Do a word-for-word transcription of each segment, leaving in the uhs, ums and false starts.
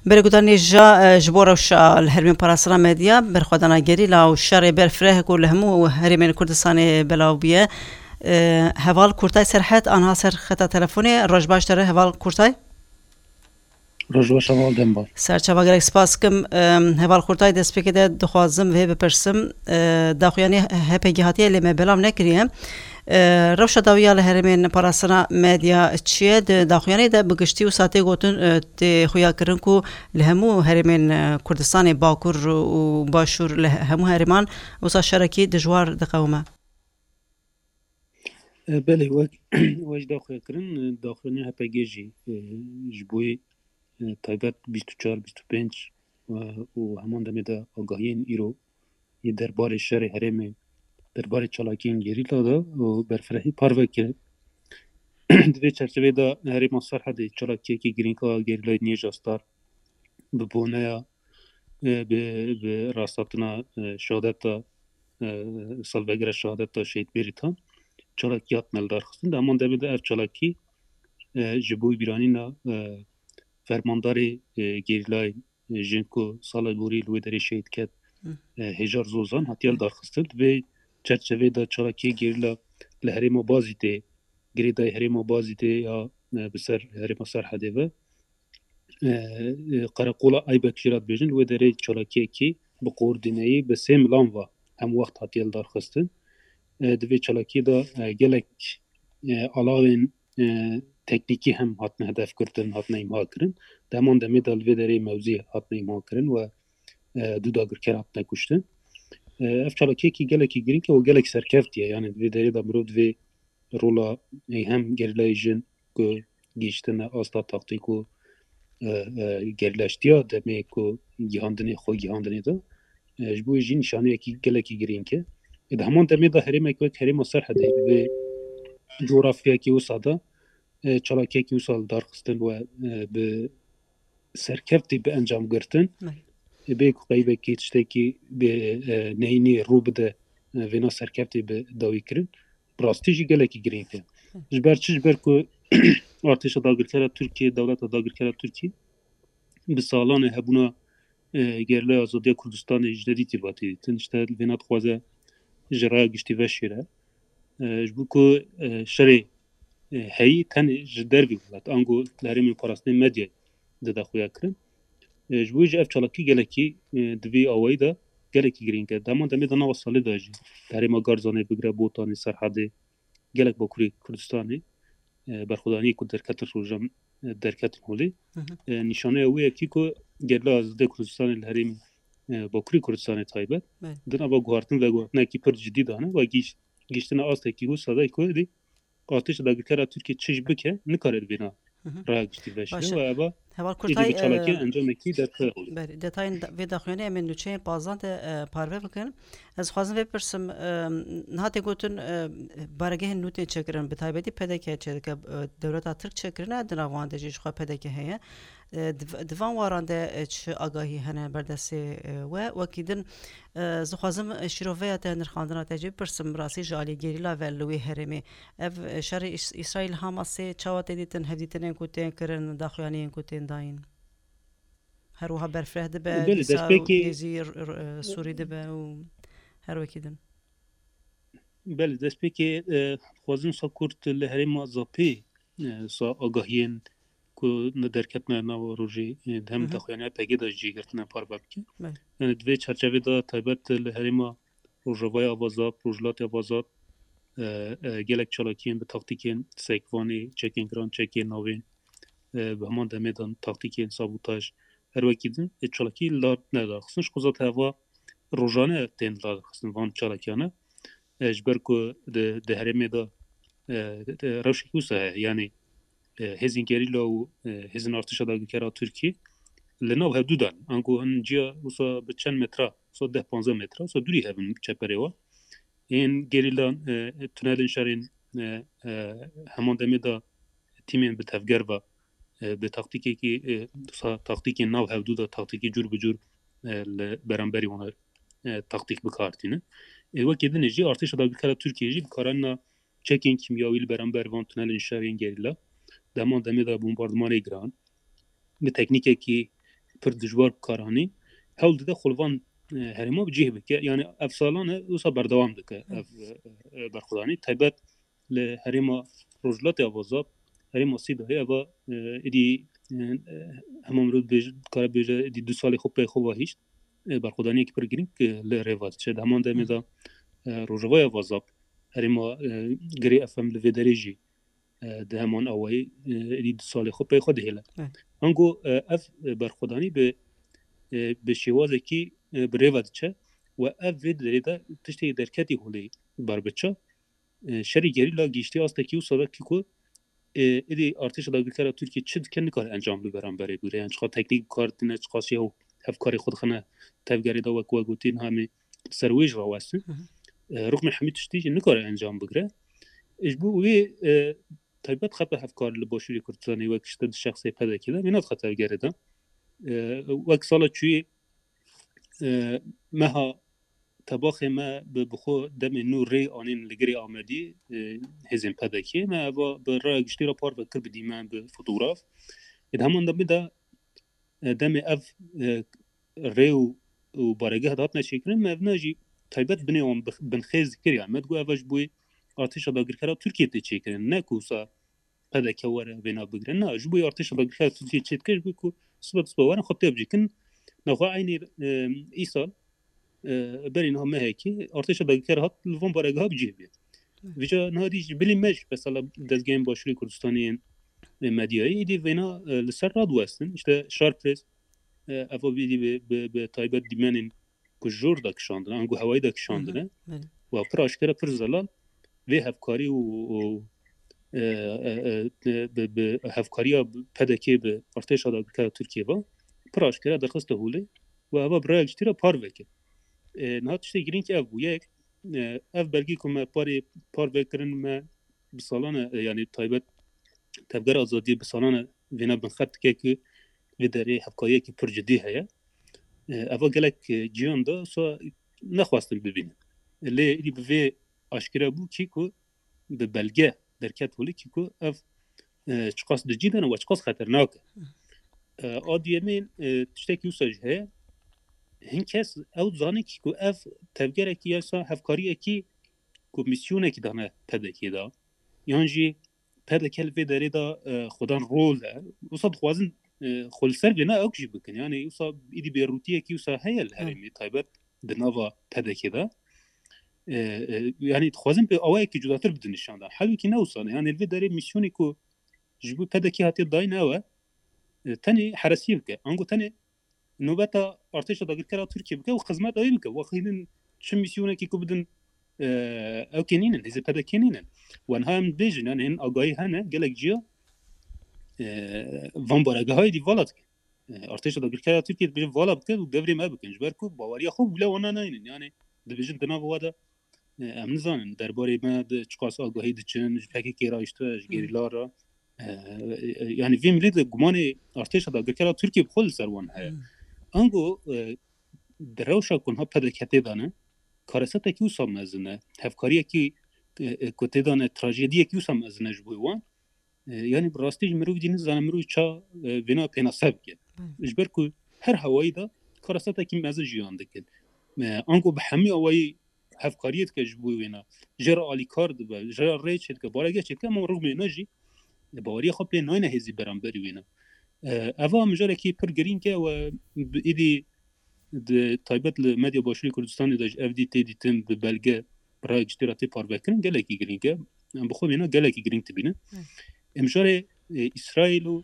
Berê guhdarên hêja, e, ji bo rewşa li herêmên parastina medya, berxwedana gerîla û şerê berfireh ku li hemû herêmên Kurdistanê belav bûye. E, Heval Kurtay Serhed, anha ser xeta telefonê. Roj baş te re, Heval Kurtay. Roj baş, Heval Dembar. Serçava, gelek spas dikim. E, Heval Kurtay, destpêkê de dixwazim vê bipirsim. E, daxuyanî H P G hatiye lê me belav nekiriye. E, rewşa dawî ya li herêmên parastina medya çi ye? Di daxuyaniyê de bi giştî wisa tê gotin, e, tê xuyakirin ku li hemû herêmên, e, Kurdistanê Bakur û Başûr, li he-, hemû herêman wisa şerekî dijwar diqewime. E, belê, wek, wek ji daxuyakirin, e, daxuyaniya H P G jî, e, ji bo yê, e, taybet bîst û çar, bîst û pênc, e, û heman demê de agahiyên îro yê derbarê şerê herêmê, derbarê çalakiyên gerîla de û berfirehî parve kirin. Di vê çerçevê de herêma Serhedê çalakiyekî girîng a gerîlayê Nêja Star bi boneya, e, bi, bi rasthatina, e, şehadeta, e, salvegera şehadeta Şehîd Bêrîtan çalakî hatine lidarxistin. Di heman demê de ev çalakî, e, ji bo bîranîna, e, fermandarê, e, gerîlayê, e, jin ku sala borî li wê derê şehîd ket, Hı. e, Hêjar Zozan hatiye lidarxistin. Di vê çerçevê de çalakiyê gerîla li herêma Bazîdê, girêdayî herêma Bazîdê ya, e, bi ser herêma Serhedê ve, e, e, Qereqola Aybek jî re dibêjin, li wê derê çalakiyekî bi koordîneyî bi sê milan ve hemwext hatiye lidarxistin. E, di vê çalakiyê de, e, gelek, e, alawên, e, teknîkî hem hatine hedef girtin, hatine îmha kirin. Di heman demê de li vê derê mewzî hatine îmha kirin we, e, du dagirker hatine kuştin. E, ev çalakiyekî gelekî girîng e û gelek serkevtî ye. Yani di vê derê de mirov divê rola, e, hem gerîlayê jin ku gihîştine asta taktîk û, e, e, gerîlaştiya demê ku gihandinê, xwe gihandinê de, e, ji bo wê jî nîşaneyekî gelekî girîng e. E, di heman demê de herêmek wek herêma Serhedê li vê cografyayekî wisa de, e, çalakiyekî wisa li dar xistin we, e, bi serkevtî bi encam girtin. Belê. E, bê ku qeybekî tiştekî bi, e, neyînî rû bide, e, vêna serkevtî bi dawî kirin. Bi rastî jî gelekî girîng e. Hı. Ji ber çi? Ji ber ku artêşa dagirkera Tirkiyê, dewleta dagirkera Tirkiyê bi salan e hebûna, e, gerîlaya azadiya Kurdistanê ji nedîtî ve tê dîtin. Ji te vêna dixwaze ji raya giştî veşêre. E, ji bo ku, e, şerê, e, heyî tenê ji dervî welat, ango li herêmên parastinê medyayê dide xuya kirin. E, ji bo jî ev çalakî gelekî, e, di vî awayî de gelekî girîng e. Dema demê de nava salê de jî di herêma Garzanê bigire Botanê, Serhedê, gelek Bakurê Kurdistanê, e, berxwedaniyê ku derketin rojan, e, derketin holê. Hı hı. E, nîşaneya wê yekî ku gerîla azadê Kurdistanê li herêmê, e, Bakurê Kurdistanê taybet, Belê. di nava guhartin veguhartinekî pir cidî dane, we gihîş-, gihîştine astekî wisa de ku êdî artêşa dagirkera Tirkiyê çi jî bike, nikare li vêna Hı hı. raya giştî veşîne Baş e. we eva Heval êdî Kurtay, bi çalakiyên e, encamekî derxe holê. Belê, detayên da-, vê daxuyaniyê em ê nûçeyên pazdan de, e, parve bikin. Ez xwazim vê pirsim, e, niha tê gotin, e, baregehên nû tên çêkirin, bi taybetî P D K çêdike, e, dewleta Tirk çêkirine, di nav wan de jî jixwe P D K heye. E, di v-, di van waran de, e, çi agahî hene berdestê, e, we? Wekî din, e, ez dixwazim, e, şîroveya te, nirxandina te jî bipirsim, rastî ji alî gerîla ve li wê herêmê. Ev, e, şerê Îs-, Îsraîl Hamasê çawa tê dîtin, hevdîtinên ku tên kirin, daxuyaniyên ku tên dayîn? Her wiha berfireh dibe, Belê, dîsa destpêkê nêzî r-, r-, e, Sûrî dibe û her wekî din. Belê, destpêkê, e, dixwazim sa kurt li herêma Zapê, e, sa agahiyên ku ne derketine nava rojê, e, di hem Hı hı. daxuyaniya P G de jî girtine parve bikim. Belê. Yani di vê çerçevê de taybet li herêma Rojavayê Avazap, Rojhilatê Avazap, e, e, gelek çalakiyên bi taktîkên sekvanê, çekên giran, çekên navên, e, bi heman demê de taktîkên sabotaj, her wekî din, e, çalakî li dar nedaxistin. Ji xwe zaten heva rojane tên lidarxistin van çalakiyane. E, ji ber ku di, di herêmê de, e, de, rewşekî wisa heye. Yanî, e, hêzên gerîla û, e, hêzên artêşa dagirkera Tirkiyê li nav hevdû de ne. Ango hin ciya wisa bi çend metre, wisa deh panzdeh metre, wisa dûrî hev in çeperê wan. Ên gerîlan, e, tunelên şerên, e, e, heman demê de tîmên bi tevger ve, e, bi taktîkekî, e, wisa taktîkên nav hevdû de taktîkî cûr bi cûr, e, li beramberî wan, e, taktîk bi kar tînin. E, wekî din jî artêşa dagirkera Tirkiyê jî bi karanîna çekên kîmyawî li beramber van tunelên şerên gerîla, dema demê de bombardimanê giran, bi teknîkekî pir dijwar bi kar anî, hewl dide xwe li van, e, herêma bi cih bike. Yani ev salan e, wisa berdewam dike ev, e, e, berxwedanî. Taybet li herêma Rojhilatê Avazab, herêma Sîdayê eva, e, êdî, e, e, hema mirov dibêje, dikare bêje, êdî du salê xwe pey xwe ve hişt, e, berxwedaniyekî pir girîng, e, li rê ve diçe. Di heman demê de, e, Rojavaya Avazab, herêma, e, Girê F M li vê derê jî, e, di heman awayî, e, êdî du salê xwe pey xwe dihêle. Evet. Ango, e, ev, e, berxwedanî bi, e, bi şêwazekî, e, bi rê ve diçe û ev vê derê de tiştê derketî holê ber biçe. E, şerê gerîla gihiştiye astekî wisa de kî ku, e, êdî artêşa dagirkera Tirkiyê çi dike nikare encam li beramberê bigire. Yani çiqa teknîk bi kar tîne, çiqa şêw hevkarê xwe dixine tevgerê de wek we gotî niha em ê ser wê jî rawestin. Hı hı. E, rixmê hemî tiştî jî nikare encam bigire. E, ji bo wê, e, taybet xeta hevkar li Başûrê Kurdistanê wek işte di şexsê P D K de vê nedixe tevgerê de. E, wek sala çûyê, e, meha tebaxê me bi, bi xwe demê nû rê anîn li Girê Amedî, e, hêzên P D K. Me eva bi raya giştî re parve kir bi dîmen, bi fotograf. Ê di heman demê de, e, demê ev, e, rê û, û baregeh dihatine çêkirin, me evna jî taybet binê wan bi, binxêz dikir. Yani me digot eva ji bo artêşa dagirkera Tirkiyê tê çêkirin. Ne ku wisa P D K were vêna bigire. Na, ji bo artêşa dagirkera Tirkiyê çê dike, ji bo ku sibe sibe werin xwe tê bicîkin. Nexwe eynî, e, îsal, e, berî niha mehekî artêşa dagirker hat li van baregeha bi cih bê. Vîca niha dî ji bilî me jî mesela dezgehên Başûrê Kurdistanê yên, e, medyayê êdî vêna, e, li ser radiwestin. İşte Sharp Press, e, eva êdî bi, bi, bi taybet dîmenên ku jor de kişandine, ango hewayî de kişandine. Hı hı, belê. Wa pir aşkere pir zelal vê hevkarî û, û, e, e, e, bi, bi hevkariya P D K bi artêşa dagirkera Tirkiyê ve pir aşkere derxiste holê û eva bi raya giştî re parve kir. E, niha tiştê girîng ev bû. Yek, e, ev belgî ku me parê parve kirin me bi salan e, yani taybet Tevgera Azadiyê bi salan e vêna binxet dike ku vê derê hevkariyekî pir cidî heye. E, eva gelek, e, ciyan de wisa nexwestin bibînin. Lê êdî bi vê aşkere bû kî ku bi belge derket holê kî ku ev, e, çiqas di cî de ne we çiqas xeternak e. E, a duyemîn, e, tiştekî wisa jî heye. Hin kes ew dizanin kî ku ev tevgerekî ya wisa hevkariyekî ku mîsyonekî dane P D K'ê de. Yan jî P D K li vê derê de, e, xwedan rol e. Wisa dixwazin, e, xwe li ser vêna ew jî bikin. Yani wisa êdî bêrûtiyekî wisa heye li herêmê taybet di nava P D K'ê de. E, e, yani dixwazin bi awayekî cudatir bidin nîşan dan. Halbûkî ne wisa ne. Yani li vê derê mîsyonê ku ji bo P D K hatiye dayîn ew e, e, tenê heresiyê bike. Ango tenê nobeta artêşa dagirkera Tirkiyê bike û xizmeta wê bike. Wexî din çi mîsyonekî ku bidin, e, ew kê nînin, hêzê P D K nînin. Wan ha em dibêjin, yani hin agahî hene, gelek ciya, e, van baregehayê dî vala dikin. E, artêşa dagirkera Tirkiyê dibêjin vala bikin û devrê me bikin. Ji ber ku baweriya xwe wile wana naynin. Yani dibêjin di nava we de, e, em nizanin, derbarê me de çiqas agahî diçin, ji P K K re, işte, ji gerîla re. E, e, yani vê milê de gumanê artêşa dagirkera Tirkiyê bi xwe li ser wan heye. Hmm. Ango, e, di rewşa ku niha P D K tê de ne, karesetekî wisa mezin e, hevkariyekî, e, e, ku tê de ne, trajediyekî wisa mezin e ji bo wan. E, yani bi rastî jî mirov dî nizane mirov ça, e, vêna pênase bike. Hmm. Ji ber ku her hewayî de karesetekî mezin jiyan dikin. E, ango bi hemî awayî hevkariyê dike ji bo wêna. Jê re alîkar dibe, jê re rê çêdike, barege çêdike, ama rûmê ne jî baweriya xwe pê nayne hêzî beramberî wêna. E, eva mijarekî pir girîng e we bi êdî di taybet li medya Başûrê Kurdistanê de ji ev dî tê dîtin bi belge bi raya giştî re tê parvekirin, gelekî girîng e. Em bi xwe wêna gelekî girîng dibînin. Hı. Em mijarê, e, Îsraîl û,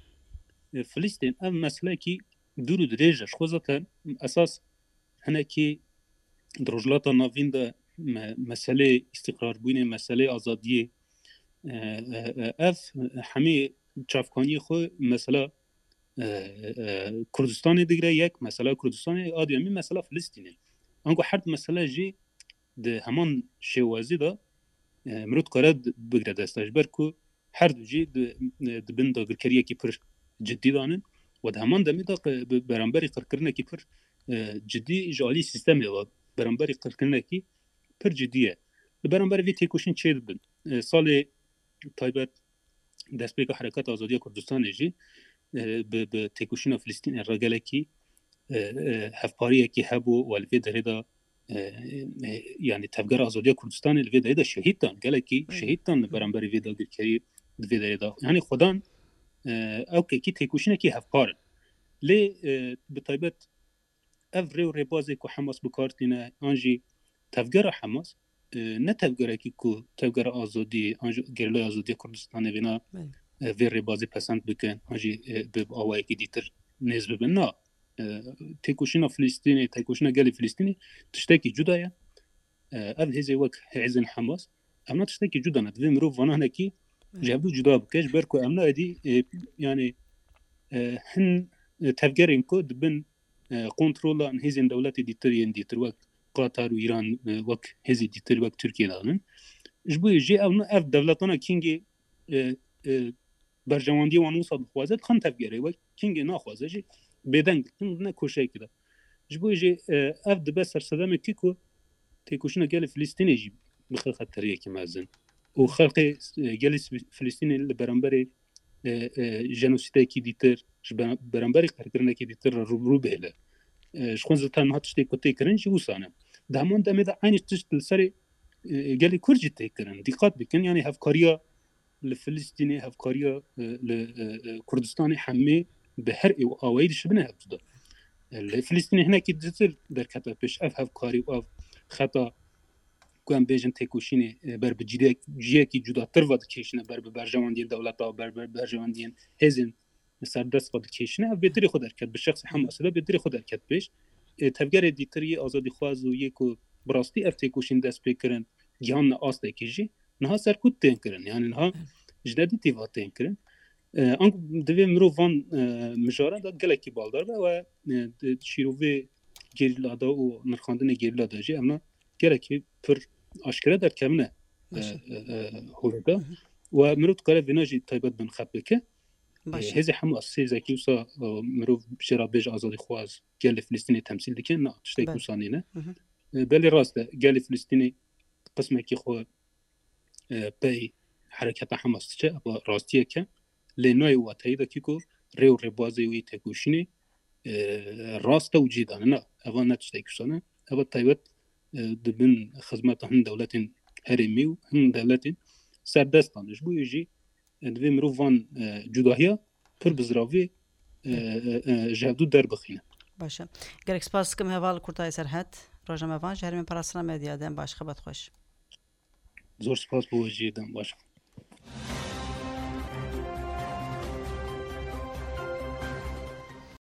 e, Filistîn ev meselekî dûr û dirêj e. Ji xwe zaten esas hinekî di Rojhilata Navîn de me-, meselê îstîqrarbûnê, meselê azadiyê, e, e, e, ev hemî çavkaniyê xwe mesela, e, e, Kurdistanê digire yek, mesela Kurdistanê, a duyemî mesela Filistînê. Ango her du mesele jî di heman şêwazî de, e, mirov dikare di-, bigire dest. Ji ber ku her du jî di, di bin dagirkeriyekî pir cidî de ne û di heman demê de qe-, bi beramberî qirkirinekî pir, e, cidî ji alî sîstemê ve beramberî qirkirinekî pir cidî ye. Li beramberî vê têkoşîn çêdibin. E, salê taybet destpêka Hereketa Azadiya Kurdistanê jî, e, bi, bi têkoşîna Filistînê re gelekî e, e, hevpariyekî hebû û li vê derê de, e, e, yanî Tevgera Azadiya Kurdistanê li vê derê de şehîd dan, gelekî şehîd dan li beramberî vê dagirkerî di vê derê de. Yanî xwedan, e, ew kekî têkoşînekî hevpar in. Lê, e, bi taybet ev rê û rêbazê ku Hamas bi kar tîne, an jî tevgera Hamas, e, ne tevgerekî ku tevgera azadî, an jî Gerîlaya Azadiya Kurdistanê vêna, e, vê rêbazê pesend bikin, an jî, e, bi awayekî dîtir nêz bibin. Na, e, têkoşîna Filistînê, têkoşîna gelê Filistînê tiştekî cuda ye. E, ev hêzê wek hêzên Hamas, ev ne tiştekî cuda ne. Divê mirov vana hinekî ji hevdû cuda bike, ji ber ku ev ne êdî, e, yanî, e, hin, e, tevgerên ku dibin, e, kontrola hêzên dewletê dîtir yên dîtir wek Qatar û Îran, e, wek hêzê dîtir wek Tirkiye danin. Ji bo jê ev ne, ev dewletana kingê, e, e, berjewendiyê wan wisa dixwaze, dixin tevgerê wek kingê naxwaze jî bêdeng dikin, ne koşeyekê de. Ji bo jê, e, ev dibe sersedemekî ku têkoşîna gelê Filistînê jî bixe xeteriyekî mezin. Û xelkê, e, gelê Filistînê li beramberê, e, e, jenosîdekî dîtir, ji be-, beramberî qirkirinekî dîtir re rûbirû bihêle. E, ji xwe zaten niha tiştê ku tê kirin jî wisa ne. Di heman demê de eynî tişt li serê, e, gelê Kurd jî tê kirin. Dîqat bikin, yanî hevkariya li Filistînê, hevkariya, e, li, e, e, Kurdistanê hemê bi her êw awayî dişibine hevdû de. E, li Filistînê hinekî dîtir derkete pêş ev hevkarî û ev xeta ku em bêjin têkoşînê, e, ber bi cîdek-, ciyekî cudatir ve dikêşine, ber bi berjewendiyên dewleta, ber bi berjewendiyên hêzên serdest ve dikêşine, ev bêtirî xwe derket, bi şexsê Hamasê de bêtirî xwe derket pêş. E, tevgerê dîtir yê azadîxwaz û yê ku bi rastî ev têkoşîn dest pê kirin, gihanine astekî jî, niha serkût tên kirin. Yanî niha ji nedîtî ve tên kirin. E, anku divê mirov van, e, mijara de gelekî baldar be we, e, di şîrovê gerîla de û nirxandinê gerîla de jî ev ne gelekî pir aşkere derkevine, e, Baş e. e, e, holê de. Hı hı. We mirov dikare vêna jî taybet bin xet bike. Baş E, e. Hêzê Hamas, hêzekî wisa, e, mirov jê re bêje azadîxwaz, gelê Filistînê temsîl dike, na, tiştek Be. wisa nîne. Hı hı. E, belê rast e, gelê Filistînê qismekî xwe, e, pey hereketa Hamas diçe, ev rastiyek e. Lê nayê wateyî de kî ku rê û rêbazê wî têkoşînê, e, rast e û cî dane. Na, eva ne tiştek wisa ne. Eva taybet, e, dibin xizmeta hin dewletên herêmî û hin dewletên serdestan. Ji bo yê jî, e, divê mirov van, e, cudahiya pir bi ziravî, e, e, e, ji hevdû derbixîne. Baş e. Gelek spas dikim heval Kurtayê Serhet, rojnamevan ji herêmên parastina medya, dem baş, xebat xweş. Zor spas bo we jî, dem baş.